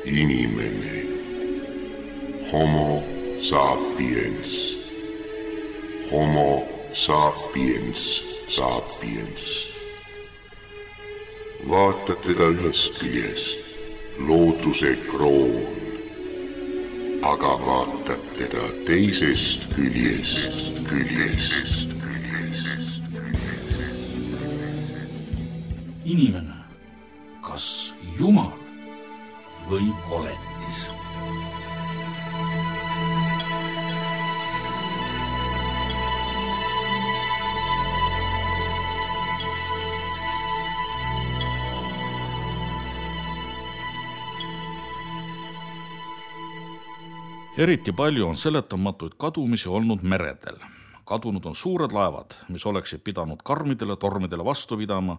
Inimene. Homo sapiens. Homo sapiens sapiens. Vaata teda ühest küljest, looduse kroon, aga vaatad teda teisest küljest. Inimene, kas Jumal või koletis? Eriti palju on seletamatuid kadumisi olnud meredel. Kadunud on suured laevad, mis oleksid pidanud karmidele tormidele vastu pidama,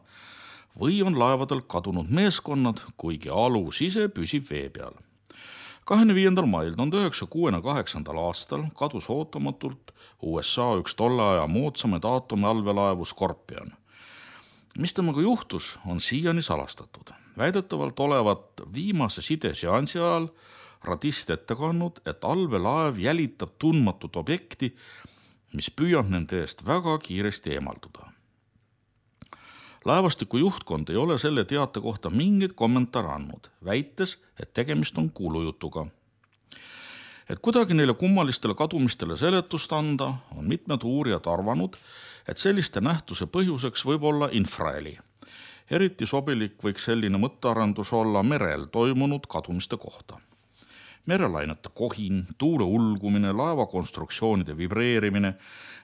või on laevadel kadunud meeskonnad, kuigi alus ise püsib vee peal. 25. mail 1968. aastal kadus ootamatult USA üks tolle aja moodsamaid aatomiallveelaevu Scorpion. Mis temaga juhtus, on siiani salastatud. Väidetavalt olevat viimase sideseansi ajal radist ette kandnud, et allveelaev jälitab tundmatut objekti, mis püüab nende eest väga kiiresti eemalduda. Laevastiku juhtkond ei ole selle teate kohta mingit kommentaare andnud, väites, et tegemist on kuulujutuga. Et kuidagi neile kummalistele kadumistele seletust anda, on mitmed uurijad arvanud, et selliste nähtuse põhjuseks võib olla infraheli. Eriti sobilik võiks selline mõttearendus olla merel toimunud kadumiste kohta. Merelainete kohin, tuule ulgumine, laevakonstruktsioonide vibreerimine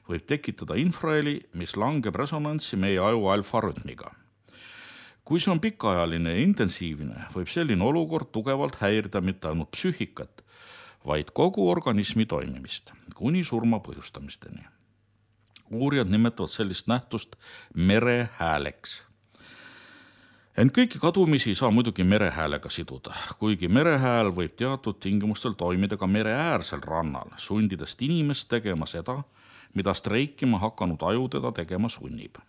võib tekitada infraheli, mis langeb resonantsi meie aju alfarütmiga. Kui see on pikaajaline ja intensiivne, võib selline olukord tugevalt häirida mitte ainult psüühikat, vaid kogu organismi toimimist, kuni surma põhjustamisteni. Uurijad nimetavad sellist nähtust merehääleks. Ent kõiki kadumisi ei saa muidugi merehäälega siduda, kuigi merehääl võib teatud tingimustel toimida ka mereäärsel rannal, sundides inimest tegema seda, mida streikima hakanud aju teda tegema sunnib.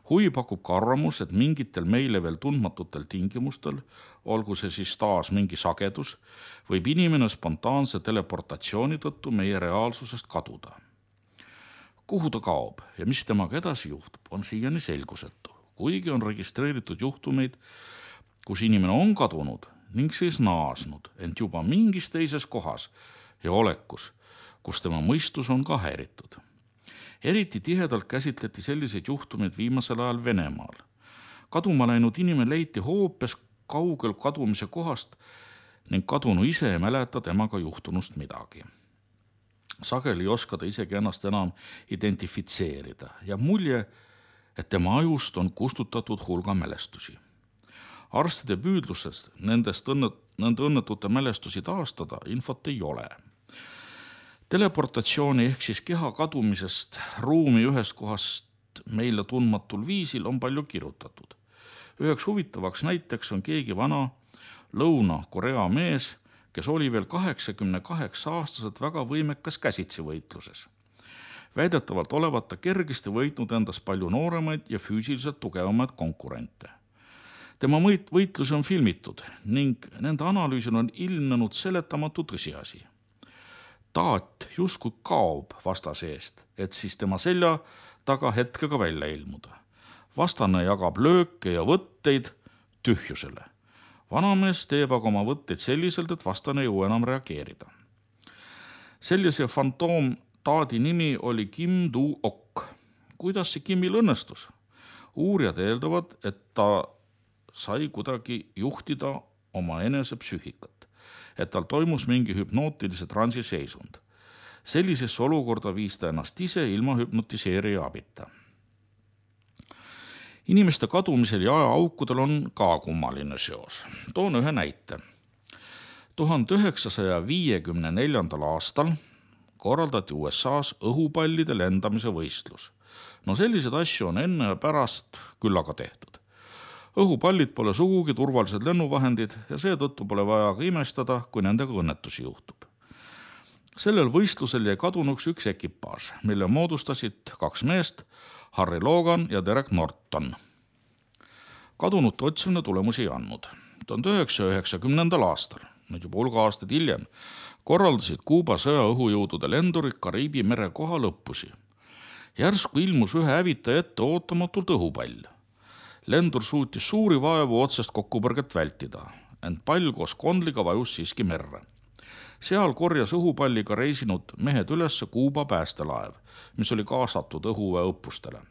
Huvi pakub ka arvamus, et mingitel meile veel tundmatutel tingimustel, olgu see siis taas mingi sagedus, võib inimene spontaanse teleportatsiooni tõttu meie reaalsusest kaduda. Kuhu ta kaob ja mis temaga edasi juhtub, on siiani selgusetu. Kuigi on registreeritud juhtumeid, kus inimene on kadunud ning siis naasnud, ent juba mingis teises kohas ja olekus, kus tema mõistus on ka häiritud. Eriti tihedalt käsitleti selliseid juhtumeid viimasel ajal Venemaal. Kaduma läinud inimene leiti hoopis kaugel kadumise kohast ning kadunu ise ei mäleta temaga juhtunust midagi. Sageli ei oska ta isegi ennast enam identifitseerida ja mulje, et tema ajust on kustutatud hulga mälestusi. Arstide püüdlusest nende õnnetute mälestusi taastada infot ei ole. Teleportatsiooni ehk siis keha kadumisest ruumi ühest kohast meile tundmatul viisil on palju kirjutatud. Üheks huvitavaks näiteks on keegi vana Lõuna-Korea mees, kes oli veel 88-aastaselt väga võimekas käsitsivõitluses. Väidetavalt olevat ta kergesti võitnud endas palju nooremaid ja füüsiliselt tugevamaid konkurente. Tema võitlusi on filmitud ning nende analüüsil on ilmnenud seletamatu tõsiasi. Taat justkui kaob vastase eest, et siis tema selja taga hetkega välja ilmuda. Vastane jagab lööke ja võtteid tühjusele. Vanamees teeb aga oma võtteid selliselt, et vastane ei jõua enam reageerida. Sellise fantoom Taadi nimi oli Kim Du-ok. Kuidas see Kimil õnnestus? Uurijad eeldavad, et ta sai kuidagi juhtida oma enese psüühikat, et tal toimus mingi hüpnootilise transi seisund. Sellisesse olukorda viis ta ennast ise ilma hüpnotiseerija abita. Inimeste kadumisel ja ajaaukudel on ka kummaline seos. Toon ühe näite. 1954. aastal korraldati USA's õhupallide lendamise võistlus. No sellised asju on enne ja pärast küll aga tehtud. Õhupallid pole sugugi turvalised lennuvahendid ja seetõttu pole vaja ka imestada, kui nendega õnnetusi juhtub. Sellel võistlusel jäi kadunuks üks ekipaaž, mille moodustasid 2 meest, Harry Logan ja Derek Norton. Kadunute otsimine tulemusi ei andnud. 1990. aastal, nüüd juba hulga aastaid hiljem, korraldasid Kuuba sõjaõhujõudude lendurid Kariibi mere kohal õppusi. Järsku ilmus ühe hävitaja ette ootamatult õhupall. Lendur suutis suuri vaevu otsest kokkupõrget vältida, ent pall koos kondliga vajus siiski merre. Seal korjas õhupalliga reisinud mehed ülesse Kuuba päästelaev, mis oli kaasatud õhuväe õppustele.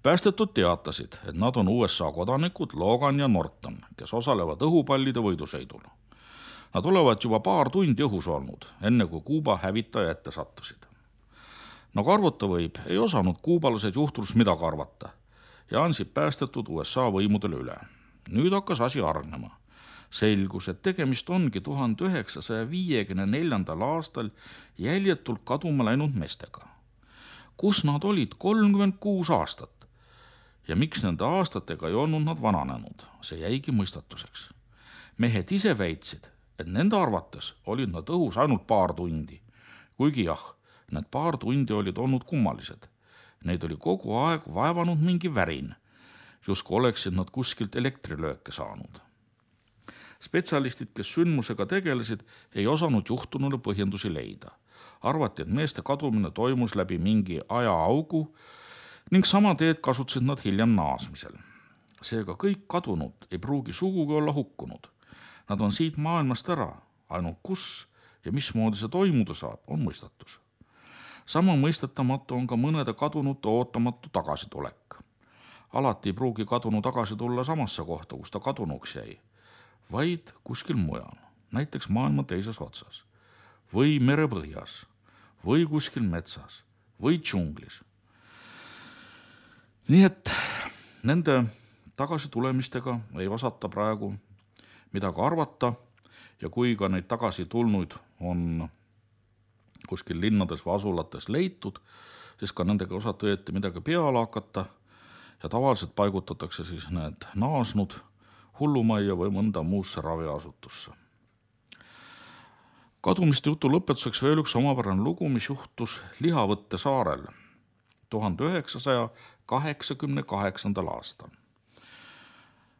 Päästetud teatasid, et nad on USA kodanikud Logan ja Norton, kes osalevad õhupallide võidusõidul. Nad olevat juba paar tundi õhus olnud, enne kui Kuuba hävitaja ette sattusid. Nagu arvata võib, ei osanud kuubalased juhturust midagi arvata ja andsid päästetud USA võimudele üle. Nüüd hakkas asi hargnema. Selgus, et tegemist ongi 1954. aastal jäljetult kaduma läinud meestega. Kus nad olid 36 aastat? Ja miks nende aastatega ei olnud nad vananenud? See jäigi mõistatuseks. Mehed ise väitsid, et nende arvates olid nad õhus ainult paar tundi. Kuigi jah, need paar tundi olid olnud kummalised. Neid oli kogu aeg vaevanud mingi värin, justkui oleksid nad kuskilt elektrilööke saanud. Spetsialistid, kes sündmusega tegelesid, ei osanud juhtunule põhjendusi leida. Arvati, et meeste kadumine toimus läbi mingi ajaaugu ning sama teed kasutasid nad hiljem naasmisel. Seega kõik kadunud ei pruugi sugugi olla hukkunud. Nad on siit maailmast ära, ainult kus ja mismoodi see toimuda saab, on mõistatus. Sama mõistetamatu on ka mõnede kadunute ootamatu tagasitulek. Alati ei pruugi kadunu tagasi tulla samasse kohta, kus ta kadunuks jäi, vaid kuskil mujal, näiteks maailma teises otsas või merepõhjas või kuskil metsas või džunglis. Nii et nende tagasitulemistega ei osata praegu midagi arvata ja kui ka neid tagasi tulnuid on kuskil linnades või asulates leitud, siis ka nendega osata õieti midagi peale hakata ja tavaliselt paigutatakse siis need naasnud hullumajja või mõnda muusse raviasutusse. Kadumiste jutu lõpetuseks veel üks omapärane lugu, mis juhtus Lihavõtte saarel 1988. aastal.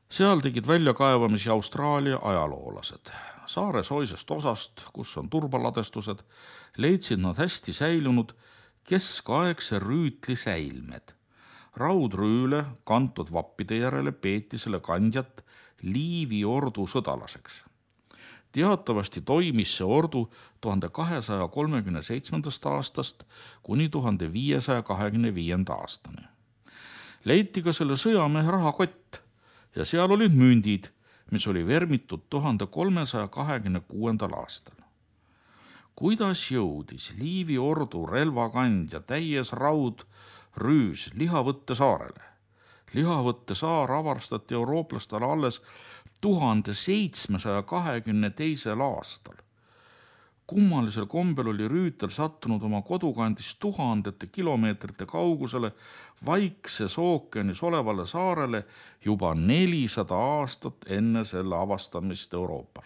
Seal tegid väljakaevamisi Austraalia ajaloolased. Saare soisest osast, kus on turbaladestused, leidsid nad hästi säilunud keskaegse rüütli säilmed. Raudrüüle kantud vappide järele peeti selle kandjat Liivi ordu sõdalaseks. Teatavasti toimis see ordu 1237. aastast kuni 1525. aastani. Leiti ka selle sõjamehe rahakott ja seal olid mündid, mis oli vermitud 1326. aastal. Kuidas jõudis Liivi ordu relvakandja täies raudrüüs Lihavõtte saarele? Lihavõtte saar avastati eurooplastele alles 1722. aastal. Kummalisel kombel oli rüütel sattunud oma kodukandist tuhandete kilomeetrite kaugusele Vaikses ookeanis olevale saarele juba 400 aastat enne selle avastamist Euroopas.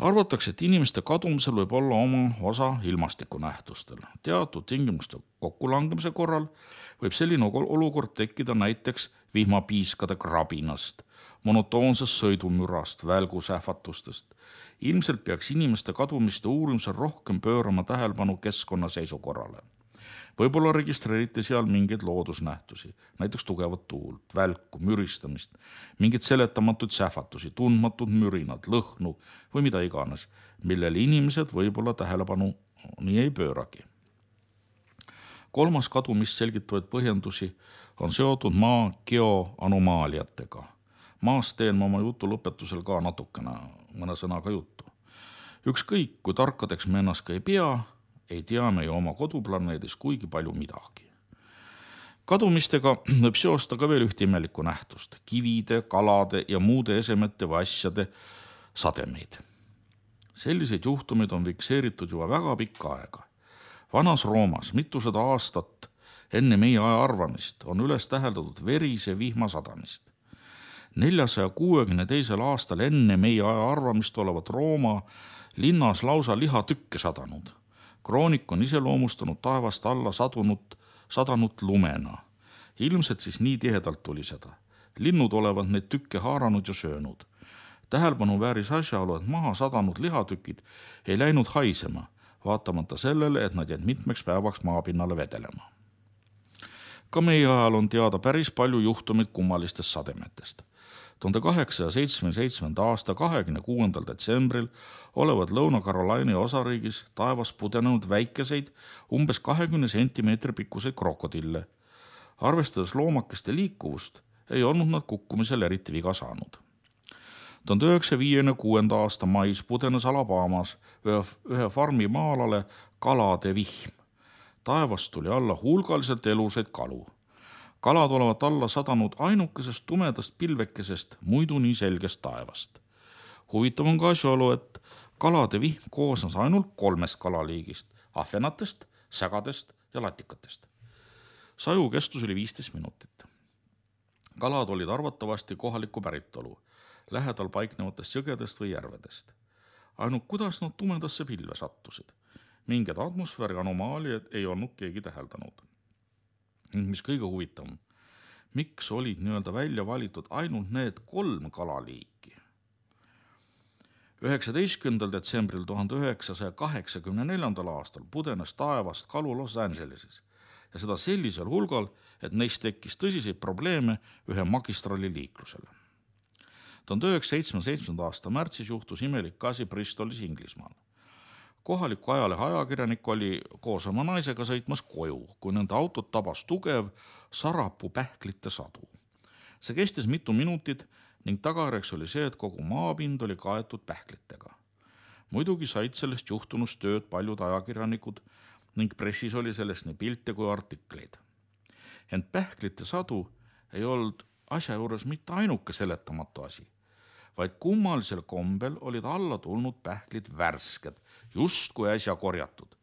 Arvatakse, et inimeste kadumisel võib olla oma osa ilmastikunähtustel. Teatud tingimuste kokkulangemise korral võib selline olukord tekkida näiteks vihmapiiskade krabinast, monotoonsest sõidumürast, välgusähvatustest. Ilmselt peaks inimeste kadumiste uurimisel rohkem pöörama tähelepanu keskkonna seisukorrale. Võib-olla registreeriti seal mingeid loodusnähtusi, näiteks tugevat tuult, välku, müristamist, mingeid seletamatuid sähvatusi, tundmatud mürinad, lõhnu või mida iganes, millele inimesed võib-olla tähelepanu nii ei pööragi. Kolmas kadumist selgitavaid põhjendusi on seotud maa geoanomaaliatega. Maast teen ma oma jutu lõpetusel ka natukene mõne sõnaga juttu. Ükskõik, kui tarkadeks me ennast ka ei pea, ei tea me ju oma koduplaneedis kuigi palju midagi. Kadumistega võib seosta ka veel ühte imelikku nähtust, kivide, kalade ja muude esemete või asjade sademeid. Selliseid juhtumeid on fikseeritud juba väga pikka aega. Vanas Roomas mitusada aastat enne meie aja arvamist on üles täheldatud verise vihma sadamist. 462. aastal enne meie aja arvamist olevat Rooma linnas lausa lihatükke sadanud. Kroonik on iseloomustanud taevast alla sadanud lumena. Ilmselt siis nii tihedalt tuli seda. Linnud olevat neid tükke haaranud ja söönud. Tähelepanu vääris asjaolu, et maha sadanud lihatükid ei läinud haisema, vaatamata sellele, et nad jäid mitmeks päevaks maapinnale vedelema. Ka meie ajal on teada päris palju juhtumid kummalistest sademetest. 1877. aasta 26. detsembril olevat Lõuna-Carolina osariigis taevas pudenenud väikeseid, umbes 20 sentimeetri pikkuseid krokodille. Arvestades loomakeste liikuvust, ei olnud nad kukkumisel eriti viga saanud. 1956. aasta mais pudenes Alabamas ühe farmi maalale kalade vihm. Taevast tuli alla hulgaliselt elusaid kalu. Kalad olevat alla sadanud ainukesest tumedast pilvekesest, muidu nii selgest taevast. Huvitav on ka asjaolu, et kalade vihm koosnes ainult 3 kalaliigist, ahvenatest, sägadest ja latikatest. Saju kestus oli 15 minutit. Kalad olid arvatavasti kohalikku päritolu, lähedal paiknevatest jõgedest või järvedest. Ainult kuidas nad tumedasse pilve sattusid? Mingid atmosfääri anomaaliad ei olnud keegi täheldanud. Mis kõige huvitavam, miks olid nii-öelda välja valitud ainult need 3 kalaliiki? 19. detsembril 1984. aastal pudenes taevast kalu Los Angeleses ja seda sellisel hulgal, et neist tekkis tõsiseid probleeme ühe magistrali liiklusele. 1977. aasta märtsis juhtus imelik asi Bristolis Inglismaal. Kohaliku ajalehe ajakirjanik oli koos oma naisega sõitmas koju, kui nende autot tabas tugev sarapuu pähklite sadu. See kestis mitu minutit ning tagajärjeks oli see, et kogu maapind oli kaetud pähklitega. Muidugi said sellest juhtunust tööd paljud ajakirjanikud ning pressis oli sellest nii pilte kui artikleid. Ent pähklite sadu ei olnud asja juures mitte ainuke seletamatu asi, vaid kummalisel kombel olid alla tulnud pähklid värsked, just kui äsja korjatud.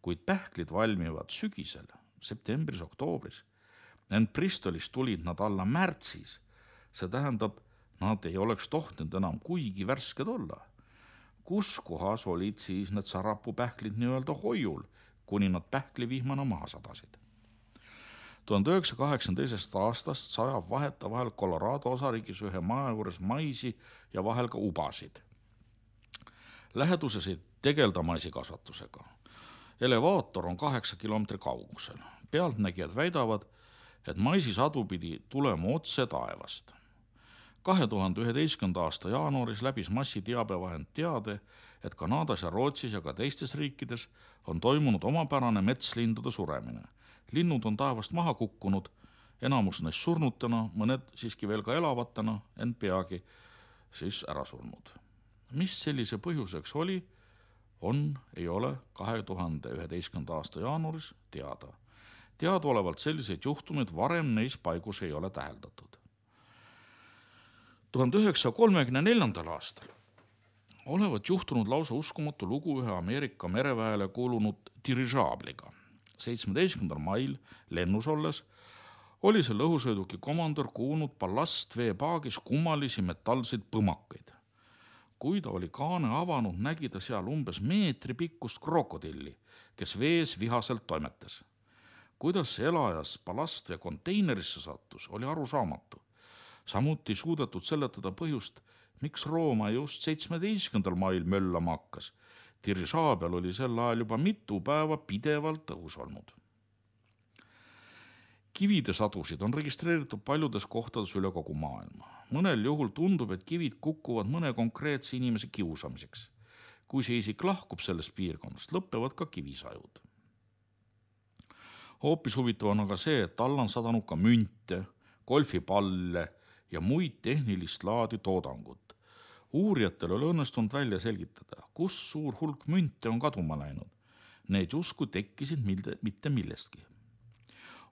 Kuid pähklid valmivad sügisel, septembris-oktoobris. Ent Bristolis tulid nad alla märtsis. See tähendab, nad ei oleks tohtinud enam kuigi värsked olla. Kus kohas olid siis need sarapupähklid nii-öelda hoiul, kuni nad pähklivihmana maha sadasid? 1982. aastast sajab vahetevahel Colorado osariigis ühe maja juures maisi ja vahel ka ubasid. Läheduses ei tegelda maisikasvatusega. Elevaator on 8 kilomeetri kaugusel. Pealtnägijad väidavad, et maisisadu pidi tulema otse taevast. 2011. aasta jaanuaris läbis massiteabevahend teade, et Kanadas ja Rootsis ja ka teistes riikides on toimunud omapärane metslindude suremine. Linnud on taevast maha kukkunud, enamus neist surnutena, mõned siiski veel ka elavatena, ent peagi siis ära surnud. Mis sellise põhjuseks oli, ei ole 2011. aasta jaanuaris teada. Teadaolevalt selliseid juhtumeid varem neis paigus ei ole täheldatud. 1934. aastal olevat juhtunud lausa uskumatu lugu ühe Ameerika mereväele kuulunud dirižaabliga. 17. mail lennus olles oli selle õhusõiduki komandör kuulnud ballastveepaagis kummalisi metallseid põmakaid. Kui ta oli kaane avanud, nägi ta seal umbes meetri pikkust krokodilli, kes vees vihaselt toimetas. Kuidas see elajas ballastvee konteinerisse sattus, oli arusaamatu. Samuti suudetud seletada põhjust, miks Rooma just 17. mail möllama hakkas. Dirižaabel oli sel ajal juba mitu päeva pidevalt õhus olnud. Kivide sadusid on registreeritud paljudes kohtades üle kogu maailma. Mõnel juhul tundub, et kivid kukuvad mõne konkreetse inimese kiusamiseks. Kui see isik lahkub sellest piirkonnast, lõppevad ka kivisajud. Hoopis huvitav on aga see, et alla on sadanud ka münte, golfipalle ja muid tehnilist laadi toodangut. Uurijatel oli õnnestunud välja selgitada, kus suur hulk münte on kaduma läinud. Need justkui tekkisid mitte millestki.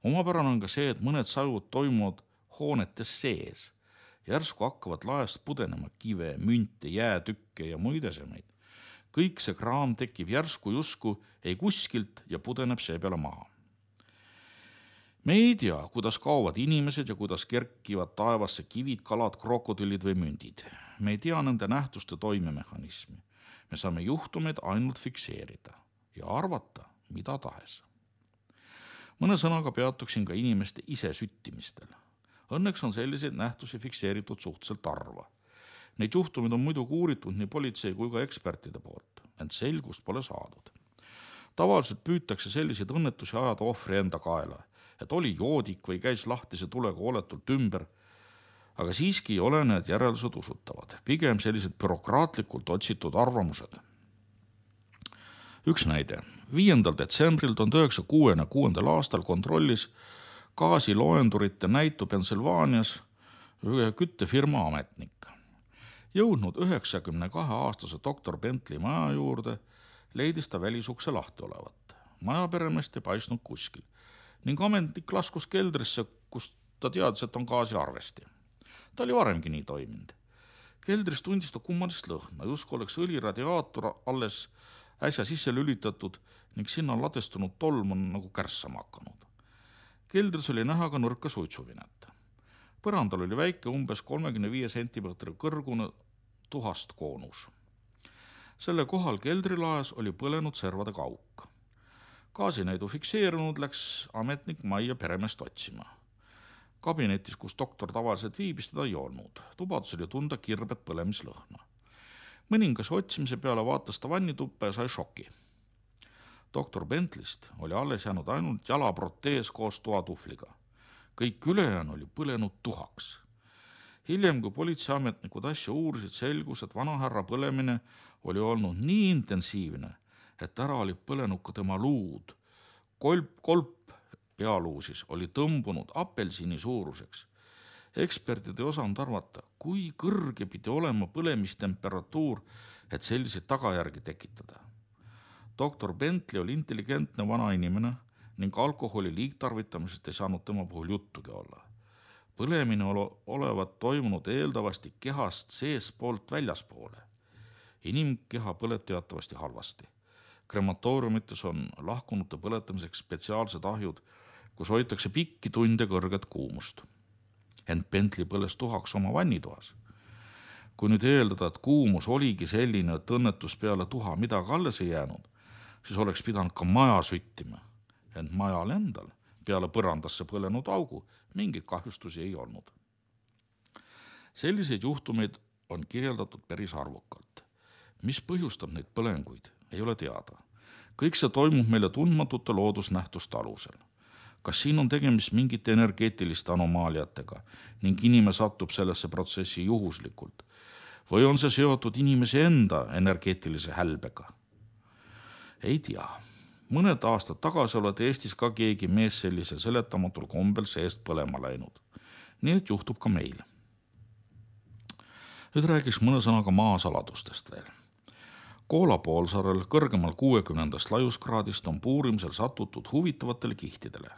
Omapärane on ka see, et mõned sajud toimuvad hoonetes sees. Järsku hakkavad laest pudenema kive, münte, jäätükke ja muid esemeid. Kõik see kraam tekib järsku justkui ei kuskilt ja pudeneb see peale maha. Me ei tea, kuidas kaovad inimesed ja kuidas kerkivad taevasse kivid, kalad, krokodillid või mündid. Me ei tea nende nähtuste toimemehhanismi. Me saame juhtumeid ainult fikseerida ja arvata, mida tahes. Mõne sõnaga peatuksin ka inimeste ise süttimistel. Õnneks on selliseid nähtusi fikseeritud suhteliselt harva. Neid juhtumid on muidugi uuritud nii politsei kui ka ekspertide poolt, ent selgust pole saadud. Tavaliselt püütakse selliseid õnnetusi ajada ohvri enda kaela, et oli joodik või käis lahtise tulega oletult ümber, aga siiski ei ole need järeldused usutavad, pigem sellised bürokraatlikult otsitud arvamused. Üks näide. 5. detsembril 1966. aastal kontrollis gaasiloendurite näitu Pennsylvanias ühe küttefirma ametnik. Jõudnud 92-aastase doktor Bentley maja juurde, leidis ta välisukse lahti olevat. Majaperemeest ei paistnud kuskil ning ametnik laskus keldrisse, kus ta teadis, et on gaasiarvesti. Ta oli varemgi nii toiminud. Keldris tundis ta kummalist lõhna, justkui oleks õliradiaator alles äsja sisse lülitatud ning sinna on ladestunud tolm on nagu kärssama hakanud. Keldris oli näha ka nõrka suitsuvinet. Põrandal oli väike umbes 35 cm kõrgune tuhast koonus. Selle kohal keldrilaes oli põlenud servade kauk. Gaasinäidu fikseerunud läks ametnik majja peremeest otsima. Kabinetis, kus doktor tavaliselt viibis, teda ei olnud. Tubadus oli tunda kirbet põlemislõhna. Mõningas otsimise peale vaatas ta vannituppa ja sai šoki. Doktor Bentleyst oli alles jäänud ainult jalaprotees koos toatuhvliga. Kõik ülejäänu oli põlenud tuhaks. Hiljem, kui politseiametnikud asja uurisid, selgus, et vanahärra põlemine oli olnud nii intensiivne, et ära oli põlenud ka tema luud. Kolp pealuusis oli tõmbunud apelsini suuruseks. Eksperdid ei osanud arvata, kui kõrge pidi olema põlemistemperatuur, et selliseid tagajärgi tekitada. Doktor Bentley oli intelligentne vana inimene ning alkoholi liigtarvitamisest ei saanud tema puhul juttugi olla. Põlemine olevat toimunud eeldavasti kehast seespoolt väljaspoole. Inimkeha põleb teatavasti halvasti. Krematooriumites on lahkunute põletamiseks spetsiaalsed ahjud, kus hoitakse pikki tunde kõrget kuumust. Ent Bentley põles tuhaks oma vannitoas. Kui nüüd eeldada, et kuumus oligi selline, et õnnetus peale tuha midagi alles ei jäänud, siis oleks pidanud ka maja süttima. Ent majal endal peale põrandasse põlenud augu mingeid kahjustusi ei olnud. Selliseid juhtumeid on kirjeldatud päris arvukalt. Mis põhjustab neid põlenguid, ei ole teada. Kõik see toimub meile tundmatute loodusnähtuste alusel. Kas siin on tegemist mingite energeetiliste anomaaliatega ning inimene satub sellesse protsessi juhuslikult või on see seotud inimese enda energeetilise hälbega? Ei tea. Mõned aastad tagasi olete Eestis ka keegi mees sellise seletamatul kombel seest põlema läinud. Nii et juhtub ka meil. Nüüd räägiks mõne sõnaga maasaladustest veel. Koola poolsaarel kõrgemal 60. laiuskraadist on puurimisel satutud huvitavatele kihtidele,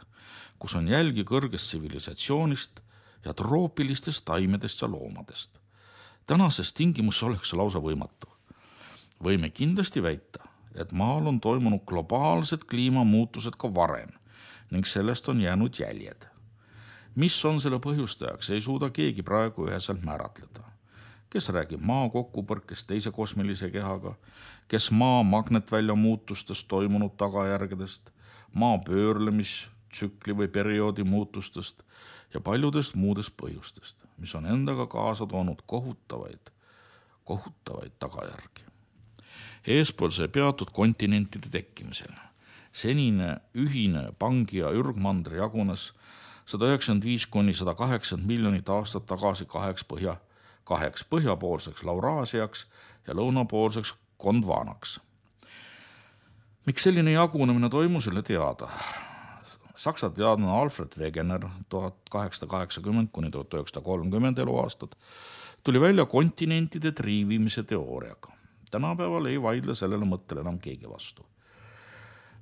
kus on jälgi kõrgest tsivilisatsioonist ja troopilistest taimedest ja loomadest. Tänases tingimus oleks lausa võimatu. Võime kindlasti väita, et maal on toimunud globaalsed kliimamuutused ka varem ning sellest on jäänud jäljed. Mis on selle põhjustajaks, ei suuda keegi praegu üheselt määratleda. Kes räägib maa kokkupõrkest teise kosmilise kehaga, kes maa magnetvälja muutustest toimunud tagajärgedest, maa pöörlemistsükli või perioodi muutustest ja paljudest muudest põhjustest, mis on endaga kaasa toonud kohutavaid tagajärgi. Eespool see peatud kontinentide tekkimisel. Senine ühine Pangi- ja Ürgmandri jagunes 195–180 miljonit aastat tagasi kaheks põhjapoolseks Lauraasiaks ja lõunapoolseks Gondvanaks. Miks selline jagunemine toimus, ei ole teada. Saksa teadlane Alfred Wegener 1880–1930 eluaastad tuli välja kontinentide triivimise teooriaga. Tänapäeval ei vaidle sellele mõttele enam keegi vastu.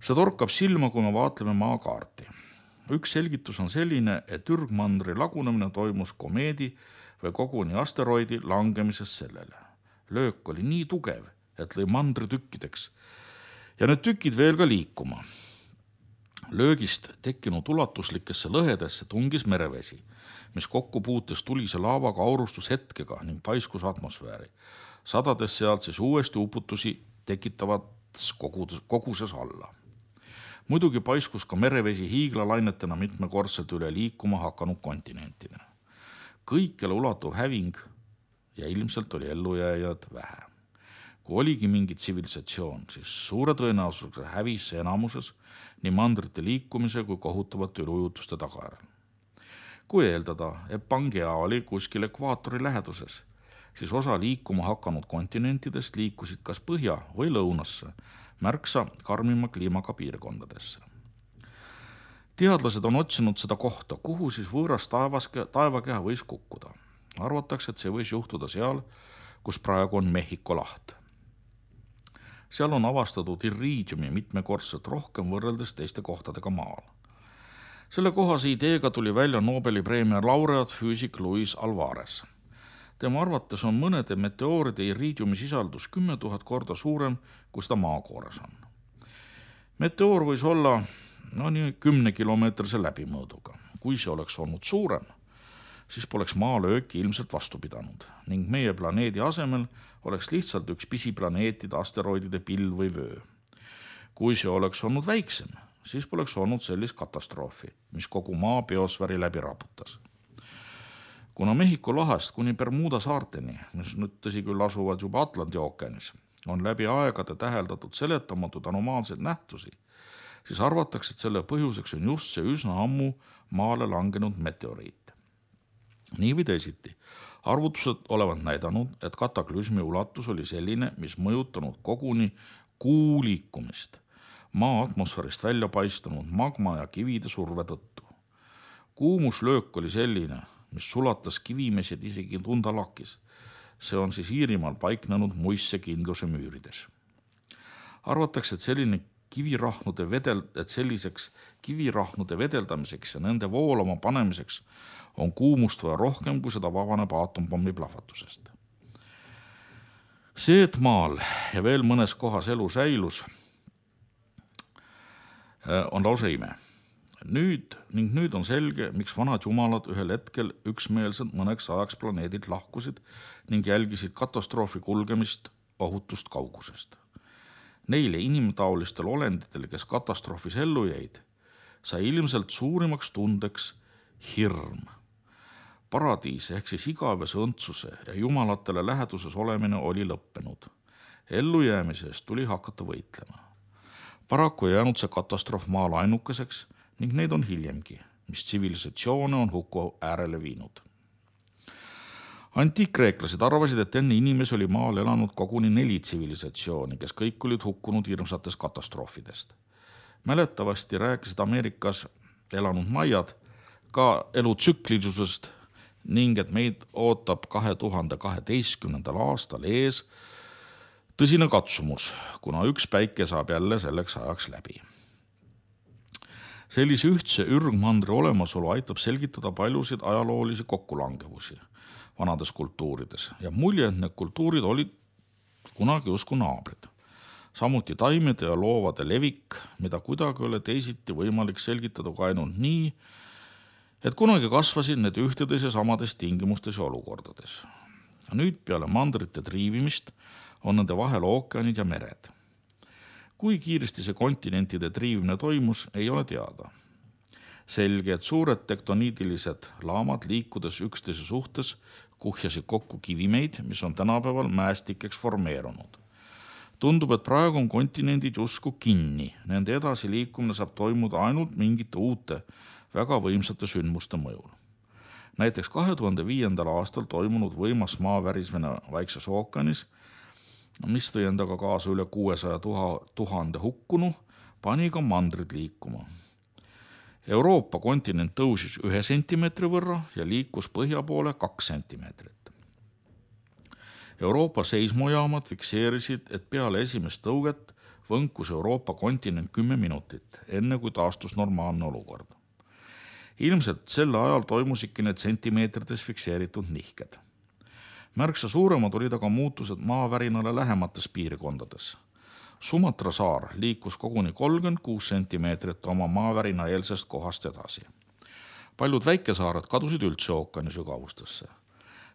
See torkab silma, kui me vaatleme maakaarti. Üks selgitus on selline, et Ürgmandri lagunemine toimus komeedi või koguni asteroidi langemisest sellele. Löök oli nii tugev, et lõi mandri tükkideks ja need tükid veel ka liikuma. Löögist tekkinud ulatuslikesse lõhedesse tungis merevesi, mis kokku puutes tulise laavaga aurustus hetkega ning paiskus atmosfääri. Sadades sealt siis uuesti uputusi tekitavats koguses alla. Muidugi paiskus ka merevesi hiiglalainetena mitmekordselt üle liikuma hakanud kontinentide. kõikjale ulatuv häving ja ilmselt oli ellujääjad vähe. Kui oligi mingi tsivilisatsioon, siis suure tõenäosusega hävis see enamuses nii mandrite liikumise kui kohutavate ülujutuste tagajärjel. Kui eeldada, et Pangea oli kuskil ekvaatori läheduses, siis osa liikuma hakanud kontinentidest liikusid kas põhja või lõunasse, märksa karmima kliimaga piirkondadesse. Teadlased on otsinud seda kohta, kuhu siis võõras taevakeha võis kukkuda. Arvatakse, et see võis juhtuda seal, kus praegu on Mehhiko laht. Seal on avastatud iriidiumi mitmekordselt rohkem võrreldes teiste kohtadega maal. Selle kohase ideega tuli välja Nobeli preemia laureaat füüsik Luis Alvarez. Tema arvates on mõnede meteooride iriidiumi sisaldus 10 000 korda suurem, kui seda maakoores on. Meteoor võis olla 10-kilomeetrise läbimõõduga. Kui see oleks olnud suurem, siis poleks maalööki ilmselt vastu pidanud ning meie planeedi asemel oleks lihtsalt üks pisiplaneetide, asteroidide pill või vöö. Kui see oleks olnud väiksem, siis poleks olnud sellist katastroofi, mis kogu maa biosfääri läbi raputas. Kuna Mehhiko lahest kuni Bermuda saarteni, mis nüüd tõsi küll asuvad juba Atlandi ookeanis, on läbi aegade täheldatud seletamatud anomaalseid nähtusi, siis arvatakse, et selle põhjuseks on just see üsna ammu maale langenud meteoriit. Nii või teisiti, arvutused olevat näidanud, et kataklüsmi ulatus oli selline, mis mõjutanud koguni kuu liikumist, maa atmosfäärist välja paistunud magma ja kivide surve tõttu. Kuumuslöök oli selline, mis sulatas kivimesed isegi tundalakis. See on siis Iirimaal paiknenud muisse kindluse müürides. Arvatakse, et selliseks kivirahnude vedeldamiseks ja nende voolama panemiseks on kuumust vaja rohkem, kui seda vabaneb aatompommi plahvatusest. See, et maal ja veel mõnes kohas elu säilus, on lausa ime. Nüüd on selge, miks vanad jumalad ühel hetkel üksmeelselt mõneks ajaks planeedilt lahkusid ning jälgisid katastroofi kulgemist ohutust kaugusest. Neile inimtaolistel olenditele, kes katastroofis ellu jäid, sai ilmselt suurimaks tundeks hirm. Paradiis ehk siis igavese õndsuse ja jumalatele läheduses olemine oli lõppenud. Ellujäämise eest tuli hakata võitlema. Paraku ei jäänud see katastroof maal ainukeseks ning neid on hiljemgi, mis tsivilisatsioone on hukku äärele viinud. Antiikkreeklased arvasid, et enne inimesi oli maal elanud koguni 4 tsivilisatsiooni, kes kõik olid hukkunud hirmsatest katastroofidest. Mäletavasti rääkisid Ameerikas elanud maiad ka elutsüklilisusest ning et meid ootab 2012. aastal ees tõsine katsumus, kuna üks päike saab jälle selleks ajaks läbi. Sellise ühtse ürgmandri olemasolu aitab selgitada paljusid ajaloolisi kokkulangevusi vanades kultuurides ja mulje, et need kultuurid olid kunagi usku naabrid. Samuti taimede ja loovade levik, mida kuidagi oli teisiti võimalik selgitada ka ainult nii, et kunagi kasvasid need ühtedes ja samades tingimustes ja olukordades. Nüüd peale mandrite triivimist on nende vahel ookeanid ja mered. Kui kiiresti see kontinentide triivimine toimus, ei ole teada. Selge, et suured tektoniidilised laamad liikudes üksteise suhtes kuhjasid kokku kivimeid, mis on tänapäeval mäestikeks formeerunud. Tundub, et praegu on kontinendid justkui kinni. Nende edasi liikumine saab toimuda ainult mingite uute, väga võimsate sündmuste mõjul. Näiteks 2005. aastal toimunud võimas maavärismine Vaikses ookeanis, mis tõi endaga kaasa üle 600 000 hukkunu, pani ka mandrid liikuma. Euroopa kontinent tõusis 1 sentimeetri võrra ja liikus põhja poole 2 sentimeetrit. Euroopa seismojaamad fikseerisid, et peale esimest tõuget võnkus Euroopa kontinent 10 minutit, enne kui taastus normaalne olukord. Ilmselt selle ajal toimusidki need sentimeetrites fikseeritud nihked. Märksa suuremad olid aga muutused maavärinale lähemates piirkondades. Sumatra saar liikus koguni 36 sentimeetrit oma maavärina eelsest kohast edasi. Paljud väikesaared kadusid üldse ookeani sügavustesse.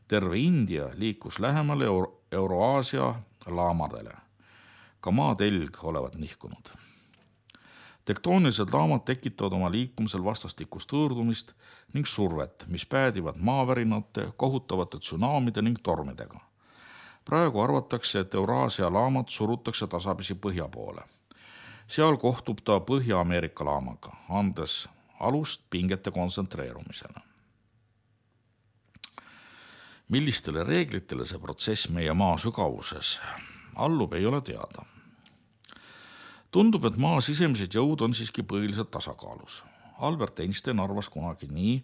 Terve India liikus lähemale Euroaasia laamadele. Ka maatelg olevat nihkunud. Tektoonilised laamad tekitavad oma liikumisel vastastikust hõõrdumist ning survet, mis päädivad maavärinate, kohutavate tsunamide ning tormidega. Praegu arvatakse, et Euraasia laamat surutakse tasapisi põhja poole. Seal kohtub ta Põhja-Ameerika laamaga, andes alust pingete kontsentreerumisele. Millistele reeglitele see protsess meie maa sügavuses allub, ei ole teada. Tundub, et maa sisemised jõud on siiski põhiliselt tasakaalus. Albert Einstein arvas kunagi nii,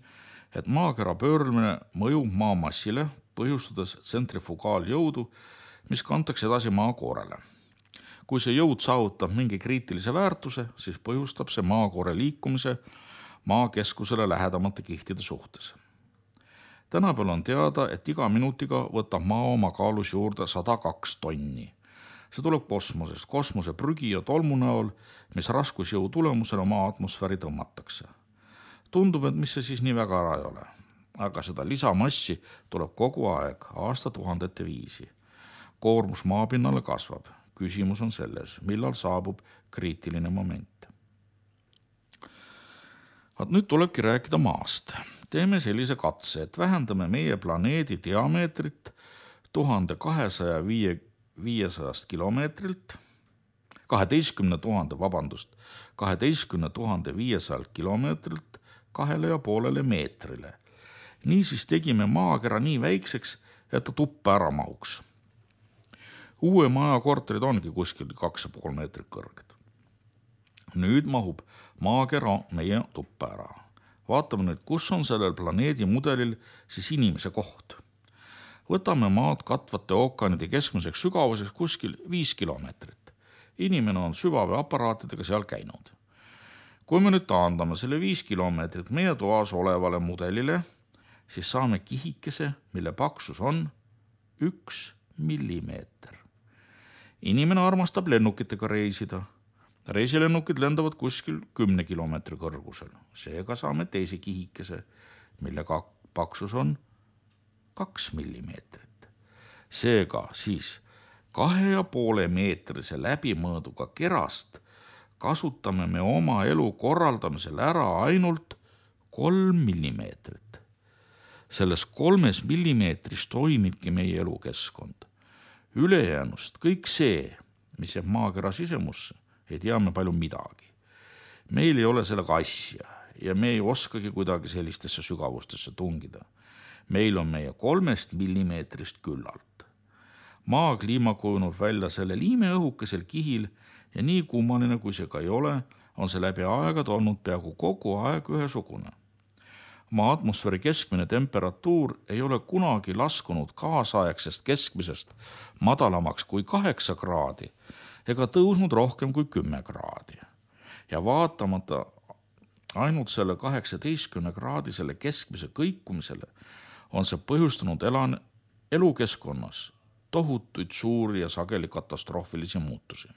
et maakera pöörlemine mõjub maamassile, põhjustades tsentrifugaaljõudu, mis kantakse edasi maakoorele. Kui see jõud saavutab mingi kriitilise väärtuse, siis põhjustab see maakoore liikumise maakeskusele lähedamate kihtide suhtes. Tänapäeval on teada, et iga minutiga võtab maa oma kaalus juurde 102 tonni. See tuleb kosmosest, kosmose prügi ja tolmu näol, mis raskusjõu tulemusena maa atmosfääri tõmmatakse. Tundub, et mis see siis nii väga ära ei ole. Aga seda lisamassi tuleb kogu aeg, aastatuhandete viisi. Koormus maapinnale kasvab. Küsimus on selles, millal saabub kriitiline moment. Nüüd tulebki rääkida maast. Teeme sellise katse, et vähendame meie planeedi diameetrit 1200 kilomeetrilt, 12 500 kilomeetrilt 2,5 meetrile. Niisiis tegime maakera nii väikseks, et ta tuppa ära mahuks. Uue maja korterid ongi kuskil 2,5 meetrit kõrged. Nüüd mahub maakera meie tuppa ära. Vaatame nüüd, kus on sellel planeedi mudelil siis inimese koht. Võtame maad katvate ookeanide keskmiseks sügavuseks kuskil 5 kilomeetrit. Inimene on süvaveaparaatidega seal käinud. Kui me nüüd taandame selle 5 kilomeetrit meie toas olevale mudelile, siis saame kihikese, mille paksus on 1 millimeeter. Inimene armastab lennukitega reisida. Reisilennukid lendavad kuskil 10 kilomeetri kõrgusel. Seega saame teise kihikese, mille paksus on 2 millimeetrit. Seega siis 2,5 meetrise läbimõõduga kerast kasutame me oma elu korraldamisel ära ainult 3 millimeetrit. Selles 3 millimeetris toimibki meie elukeskkond. Ülejäänust kõik see, mis jääb maakera sisemusse, ei tea me palju midagi. Meil ei ole sellega asja ja me ei oskagi kuidagi sellistesse sügavustesse tungida. Meil on meie 3 millimeetrist küllalt. Maa kliima kujunub välja selle liimeõhukesel kihil ja nii kummaline kui see ka ei ole, on see läbi aegade olnud peaaegu kogu aeg ühesugune. Maa atmosfääri keskmine temperatuur ei ole kunagi laskunud kaasaegsest keskmisest madalamaks kui 8 kraadi ega tõusnud rohkem kui 10 kraadi. Ja vaatamata ainult selle 18-kraadisele keskmise kõikumisele on see põhjustanud elukeskkonnas tohutuid suuri ja sageli katastroofilisi muutusi.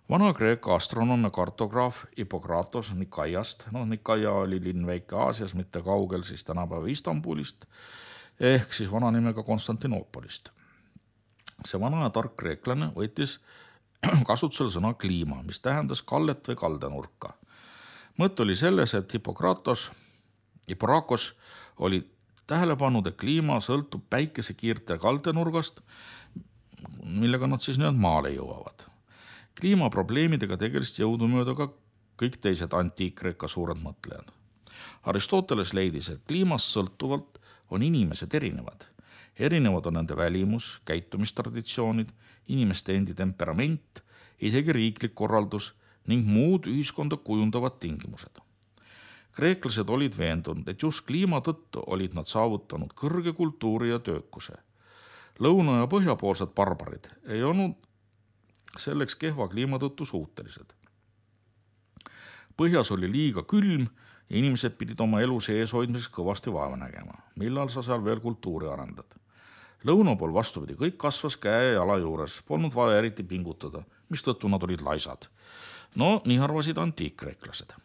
Vana-Kreeka astronoom ja kartograaf Hippokratos Nikaiast, Nikaia oli linn väike Aasias, mitte kaugel siis tänapäeva Istanbulist, ehk siis vana nimega Konstantinoopolist. See vana ja tark kreeklane võttis kasutusele sõna kliima, mis tähendas kallet või kaldenurka. Mõte oli selles, et Hipporakos oli tähele pannud, et kliima sõltub päikesekiirte kaldenurgast, millega nad siis nüüd maale jõuavad. Kliimaprobleemidega tegeliselt jõudumööda ka kõik teised antiik-Kreeka suured mõtlejad. Aristoteles leidis, et kliimast sõltuvalt on inimesed erinevad. Erinevad on nende välimus, käitumistraditsioonid, inimeste endi temperament, isegi riiklik korraldus ning muud ühiskonda kujundavad tingimused. Kreeklased olid veendunud, et just kliima tõttu olid nad saavutanud kõrge kultuuri ja töökuse. Lõuna- ja põhjapoolsed barbarid ei olnud selleks kehva kliima tõttu suutelised. Põhjas oli liiga külm ja inimesed pidid oma elu sees hoidmiseks kõvasti vaeva nägema. Millal sa seal veel kultuuri arendad? Lõuna pool vastupidi, kõik kasvas käe ja jala juures, polnud vaja eriti pingutada, mistõttu nad olid laisad. Nii arvasid antiik-kreeklased.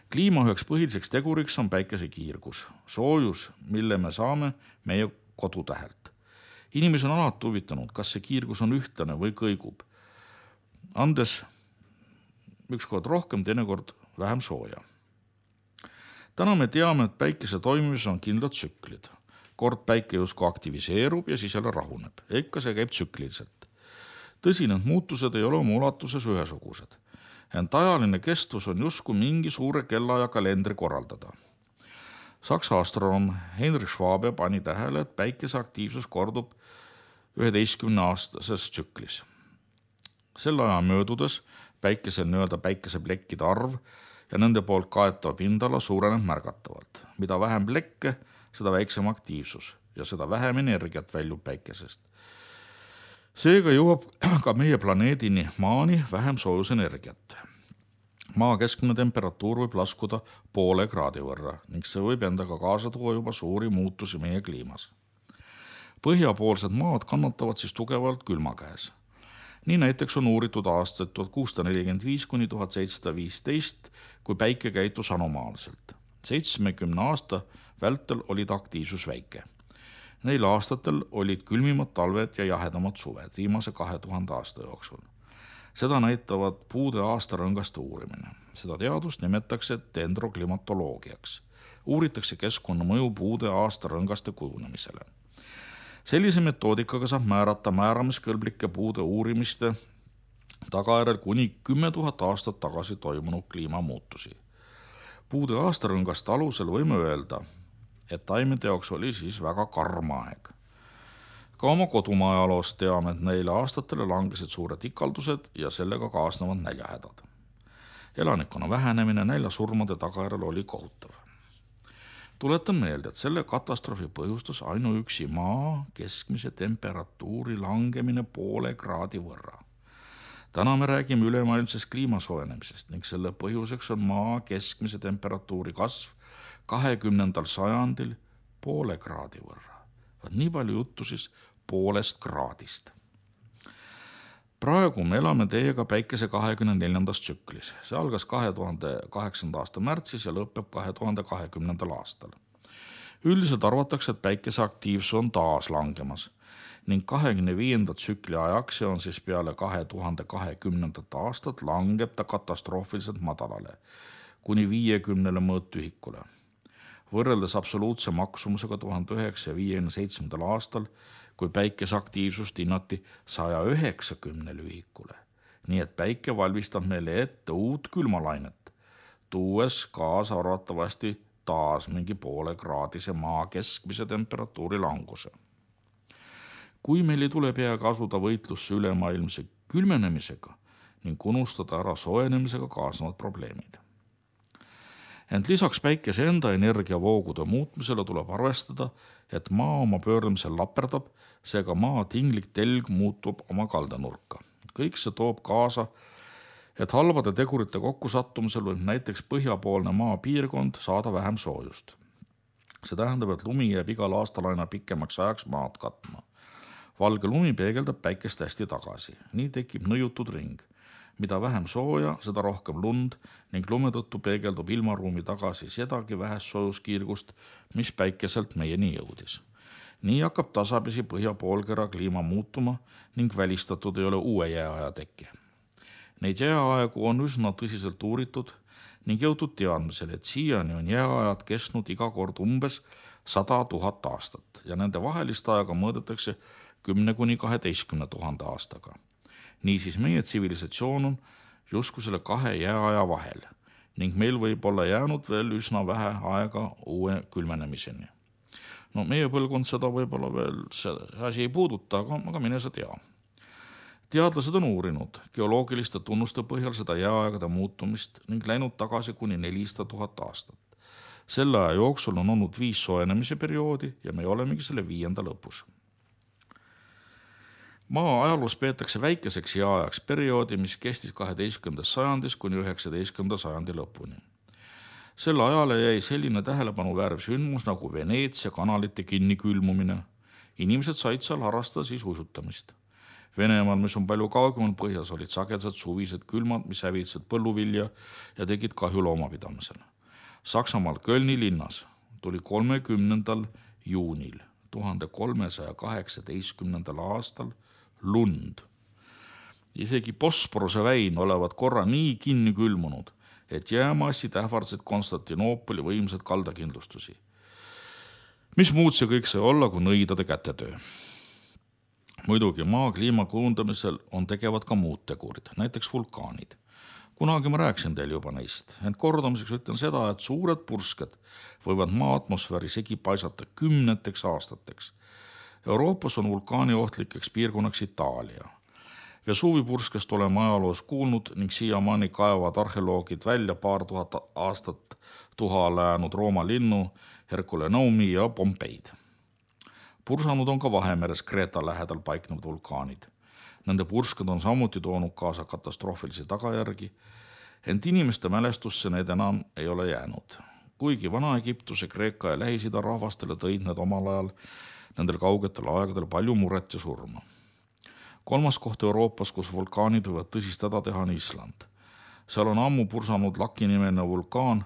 Kliima üheks põhiliseks teguriks on päikesekiirgus, soojus, mille me saame meie kodutähelt. Inimesi on alati huvitanud, kas see kiirgus on ühtlane või kõigub. Andes ükskord rohkem, teinekord vähem sooja. Täna me teame, et päikese toimimises on kindlad tsüklid. Kord päike justkui aktiviseerub ja siis jälle rahuneb. Ikka see käib tsükliliselt. Tõsi, need muutused ei ole oma ulatuses ühesugused. Ent ajaline kestvus on justkui mingi suure kellaaja kalendri korraldada. Saksa astronoom Heinrich Schwabe pani tähele, et päikese aktiivsus kordub 11-aastases tsüklis. Selle aja möödudes päikesel päikeseplekkide arv ja nende poolt kaetav pindala suureneb märgatavalt. Mida vähem plekke, seda väiksem aktiivsus ja seda vähem energiat väljub päikesest. Seega jõuab ka meie planeedini Maani vähem soojusenergiat. Maa keskmine temperatuur võib laskuda 0,5 kraadi võrra ning see võib endaga kaasa tuua juba suuri muutusi meie kliimas. Põhjapoolsed maad kannatavad siis tugevalt külma käes. Nii näiteks on uuritud aastaid 1645 kuni 1715, kui päike käitus anomaalselt. 70 aasta vältel olid aktiivsus väike. Neil aastatel olid külmimad talved ja jahedamad suved viimase 2000 aasta jooksul. Seda näitavad puude aastarõngaste uurimine. Seda teadust nimetatakse dendroklimatoloogiaks. Uuritakse keskkonnamõju puude aastarõngaste kujunemisele. Sellise metoodikaga saab määrata määramiskõlblike puude uurimiste tagajärjel kuni 10 000 aastat tagasi toimunud kliimamuutusi. Puude aastarõngaste alusel võime öelda, et taimede jaoks oli siis väga karm aeg. Ka oma kodumaa ajaloost teame, et neile aastatele langesid suured ikaldused ja sellega kaasnevad näljahädad. Elanikkonna vähenemine näljasurmade tagajärjel oli kohutav. Tuletan meelde, et selle katastroofi põhjustas ainuüksi maa keskmise temperatuuri langemine 0,5 kraadi võrra. Täna me räägime ülemaailmsest kliimasoojenemisest ning selle põhjuseks on maa keskmise temperatuuri kasv 20. sajandil 0,5 kraadi võrra. Nii palju juttu siis 0,5 kraadist. Praegu me elame teiega päikese 24. tsüklis. See algas 2008. aasta märtsis ja lõpeb 2020. aastal. Üldiselt arvatakse, et päikese aktiivsus on taas langemas ning 25. tsükli ajaks, see on siis peale 2020. aastat, langeb ta katastroofiliselt madalale, kuni 50 mõõtühikule. Võrreldes absoluutse maksumusega 1957. aastal, kui päikese aktiivsust hinnati 190 ühikule. Nii et päike valmistab meile ette uut külmalainet, tuues kaasa arvatavasti taas mingi 0,5 kraadise maa keskmise temperatuuri languse. Kui meil ei tule peaaegu asuda võitlusse ülemaailmse külmenemisega ning unustada ära soojenemisega kaasnevad probleemid. Ent lisaks päikese enda energiavoogude muutmisele tuleb arvestada, et maa oma pöörlemisel laperdab, seega maa tinglik telg muutub oma kaldanurka. Kõik see toob kaasa, et halbade tegurite kokkusattumisel võib näiteks põhjapoolne maapiirkond saada vähem soojust. See tähendab, et lumi jääb igal aastal aina pikemaks ajaks maad katma. Valge lumi peegeldab päikest hästi tagasi. Nii tekib nõjutud ring. Mida vähem sooja, seda rohkem lund ning lume tõttu peegeldub ilmaruumi tagasi sedagi vähest soojuskiirgust, mis päikeselt meieni jõudis. Nii hakkab tasapisi põhjapoolkera kliima muutuma ning välistatud ei ole uue jääaja tekke. Neid jääaegu on üsna tõsiselt uuritud ning jõutud teadmisele, et siiani on jääajad kestnud iga kord umbes 100 000 aastat ja nende vahelist aega mõõdetakse 10 kuni 12 000 aastaga. Niisiis meie tsivilisatsioon on justkui selle 2 jääaja vahel ning meil võib olla jäänud veel üsna vähe aega uue külmenemiseni. Meie põlvkond seda võib-olla veel see asi ei puuduta, aga mine sa tea. Teadlased on uurinud geoloogiliste tunnuste põhjal seda jääaegade muutumist ning läinud tagasi kuni 400 000 aastat. Selle aja jooksul on olnud 5 soojenemise perioodi ja me olemegi selle 5. lõpus. Maa ajaloos peetakse väikeseks jääajaks perioodi, mis kestis 12. sajandis kuni 19. sajandi lõpuni. Selle ajale jäi selline tähelepanuväärv sündmus nagu Veneetsia kanalite kinnikülmumine. Inimesed said seal harrastada siis uisutamist. Venemaal, mis on palju kaugemal põhjas, olid sagedased suvised külmad, mis hävitasid põlluvilja ja tegid kahju loomapidamisele. Saksamaal Kölni linnas tuli 30. juunil 1318. aastal lund Isegi Bosporuse väin olevat korra nii kinni külmunud, et jäämassid ähvardasid Konstantinoopoli võimsad kaldakindlustusi. Mis muud see kõik sai olla, kui nõidade kätetöö? Muidugi maa kliima kujundamisel on tegevad ka muud tegurid, näiteks vulkaanid. Kunagi ma rääkisin teil juba neist, ent kordamiseks ütlen seda, et suured pursked võivad maa atmosfääri segi paisata 10 aastateks. Euroopas on vulkaani ohtlikeks piirkonnaks Itaalia. Vesuvi purskest oleme ajaloos kuulnud ning siiamaani kaevavad arheoloogid välja paar tuhat aastat tuha läänud Rooma linnu, Herculaneumi ja Pompeid. Pursanud on ka Vahemeres Kreeta lähedal paiknevad vulkaanid. Nende pursked on samuti toonud kaasa katastroofilisi tagajärgi, ent inimeste mälestusse need enam ei ole jäänud. Kuigi Vana-Egiptuse, Kreeka ja Lähis-Ida rahvastele tõid need omal ajal nendel kaugetel aegadel palju muret ja surma. 3. koht Euroopas, kus vulkaanid võivad tõsist häda teha, on Island. Seal on ammu pursanud Laki-nimeline vulkaan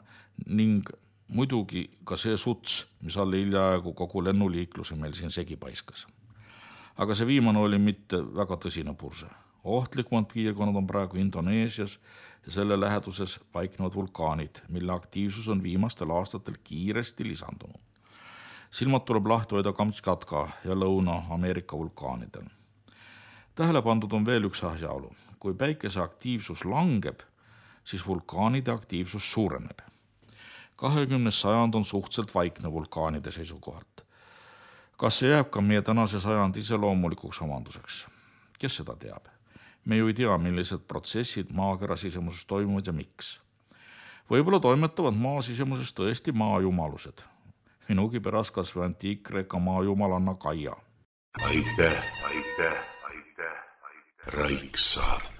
ning muidugi ka see suts, mis alle hiljaaegu kogu lennuliikluse meil siin segi paiskas. Aga see viimane oli mitte väga tõsine purse. Ohtlikumad piirkonnad on praegu Indoneesias ja selle läheduses paiknevad vulkaanid, mille aktiivsus on viimastel aastatel kiiresti lisandunud. Silmad tuleb lahti hoida Kamtšatka ja Lõuna-Ameerika vulkaanidel. Tähele pandud on veel üks asjaolu. Kui päikese aktiivsus langeb, siis vulkaanide aktiivsus suureneb. 20. sajand on suhteliselt vaikne vulkaanide seisukohalt. Kas see jääb ka meie tänase sajandi iseloomulikuks omanduseks? Kes seda teab? Me ju ei tea, millised protsessid maakera sisemuses toimuvad ja miks. Võib-olla toimetavad maa sisemuses tõesti maajumalused. Minugi pärast kas või antiik-Kreeka maajumalanna Kaia. Aitäh. Raiksaart.